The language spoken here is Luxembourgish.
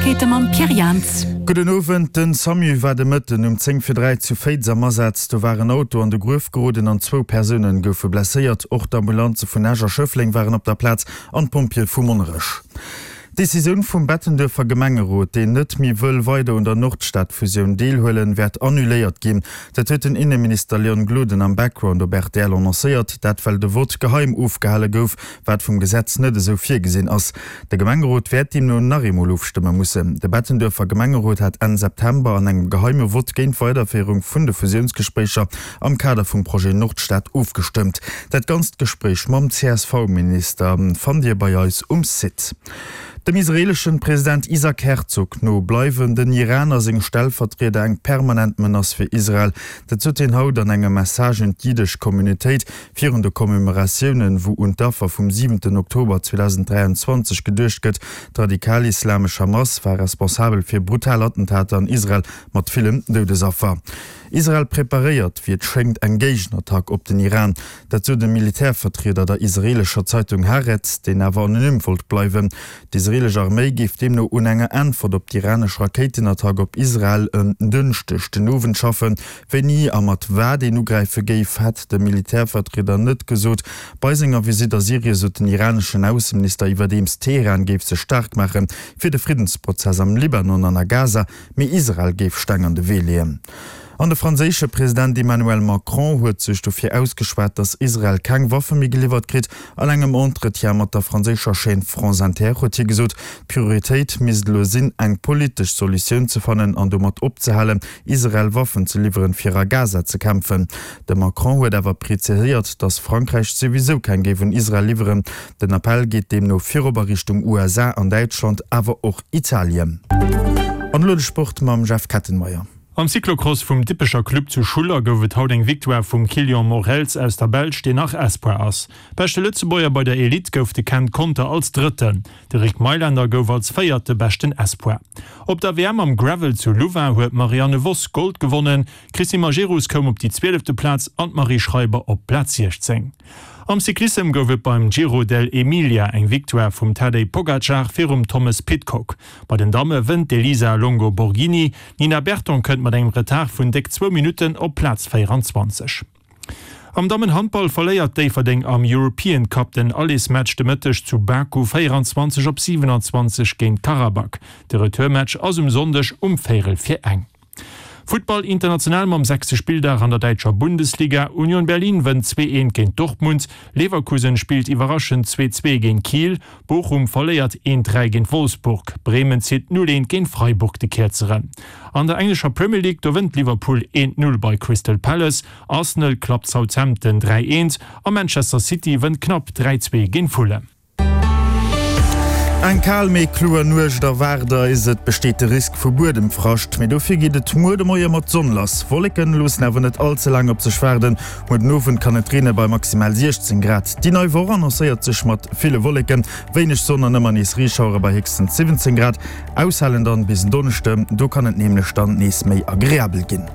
Neiegkeete mam Pierre Jans. Gudden Owend. Den Samu war de Mëtten um 10 vir 3 zu Féiz am Asaz. Do war en Auto an de Gruef geroden an zwou Persounen goufe blesséiert. Och d'Ambulanze vun Esch a Schëffleng waren op der Plaz an d'Pompjeeë vu Monnerech. D'Decisioun vum Bettenduerfer Gemengerot, deen net méi wëll weider un der Nordstad-Fusioun deelhuelen, wäert annuléiert ginn. Dat huet den Inneminister Leon Gloden am Background op rtl annoncéiert. Dat well de Vott geheim ofgehale gouf, wat vum Gesetz net esou virgesinn ass. De Gemengerot wäert deemno nach eemol ofstëmme mussen. De Bettenduerfer Gemengerot hat Enn September an engem geheime Vott géint d'Weiderféierung vun de Fusiounsgespréicher am Kader vum Projet Nordstad ofgestëmmt. Dat ganzt Gespréich mam CSV-Minister fannt Dir bei eis um Site. Dem israeeleschen President Isaac Herzog no bleiwen den Iran a seng Stellvertrieder eng permanent Menace fir Israel. Dat sot hien haut an engem Message un d'jiddesch Communautéit virun de Commemoratiounen, wou un d'Affer vum siwenten Oktober 2023 geduecht gëtt. D'radikal-islamesch Hamas war responsabel fir brutal Attentater an Israel mat villen Doudesaffer. Israel preparéiert, wéi et schéngt, eng Géigenattack op den Iran. Dat sot e Militärvertrieder der israeelescher Zeitung Haaretz, deen awer anonym wollt bleiwen. D'israeelesch Arméi géif deemno un enger Äntwert op d'iranesch Rakéitenattack op Israel en Dënschdeg den Owend schaffen. Wéini a mat wat een ugräife géif, hätt de Militärvertrieder net gesot. Bei senger Visitt a Syrien sot den iraneschen Ausseminister iwwerdeems, Teheran géif sech staark maache fir de Friddensprozess am Libanon an a Gaza, mee Israel géif Steng an de Wee leeën. An de franséische President Emmanuel Macron huet sech dofir ausgeschwat, datt Israel keng Waffe méi geliwwert kritt. An engem Entretien mat der franséischer Chaîne France Inter huet hie gesot, d'Prioritéit misst elo sinn, eng politesch Solutioun ze fannen an domat opzehalen, Israel Waffen ze liwweren, fir a Gaza ze kämpfen. De Macron huet awer preziséiert, datt Frankräich souwisou keng géif un Israel liwweren. Den Appell geet deemno virop a Richtung USA an Däitschland, awer och Italien. An elo de Sport mam Jeff Kettenmeyer. Am Cyclocross vum Dippecher Club zu Schuller gouf et haut eng Victoire vum Kilian Morels aus der Belsch, deen nach Espoir ass. Beschte Lëtzebuerger bei der Elite gouf de Ken Conter als Drëtten. De Rick Meylender gouf als Véierte beschten Espoir. Op der WM am Gravel zu Louvain huet d'Marianne Vos Gold gewonnen. D'Christine Majerus koum op déi zwielefte Plaz an d'Marie Schreiber op d'Plaz 16. Am Cyclissem gouf et beim Giro dell'Emilia eng Victoire vum Tadej Pogacar virum Thomas Pidcock. Bei den Damme wënnt d'Elisa Longo Borghini. D'Nina Berton kënnt mat engem Retard vun déck zwou Minutten op Plaz 24. Am Dammenhandball verléiert Déifferdeng am European Cup den Allersmatch de Mëtteg zu Baku 24 op 27 géint Karabag. De Retourmatch ass um Sonndeg um véierel vir eng. Futtball international mam sechste Spilldag an der däitscher Bundesliga, Union Berlin wënnt 2, 1 géint Dortmund, Leverkusen spillt iwwerraschend 2, 2 géint Kiel, Bochum verléiert 1, 3 géint Wolfsburg, Bremen zitt 0, 1 géint Freiburg de Kierzeren. An der englescher Premier League, do wënnt Liverpool 1, 0 bei Crystal Palace, Arsenal klappt Southampton 3, 1 a Manchester City wënnt knapp 3, 2 géint Fulham. Eng kal mee kloer Nuecht erwaart eis. Et besteet de Risk vu Buedemfrascht, mee dofir geet et muer de Moie mat Sonn lass. Wolleken loossen awer net all ze laang op sech waarden. Muer den Owend kann et reene bei maximal 16 Grad. Déi nei Woch annoncéiert sech mat ville Wolleken, wéineg Sonn an ëmmer nees Reeschauere bei héchstens 17 Grad. Aushalen dann bis en Donneschden, do kann et nämlech dann nees méi agreabel ginn.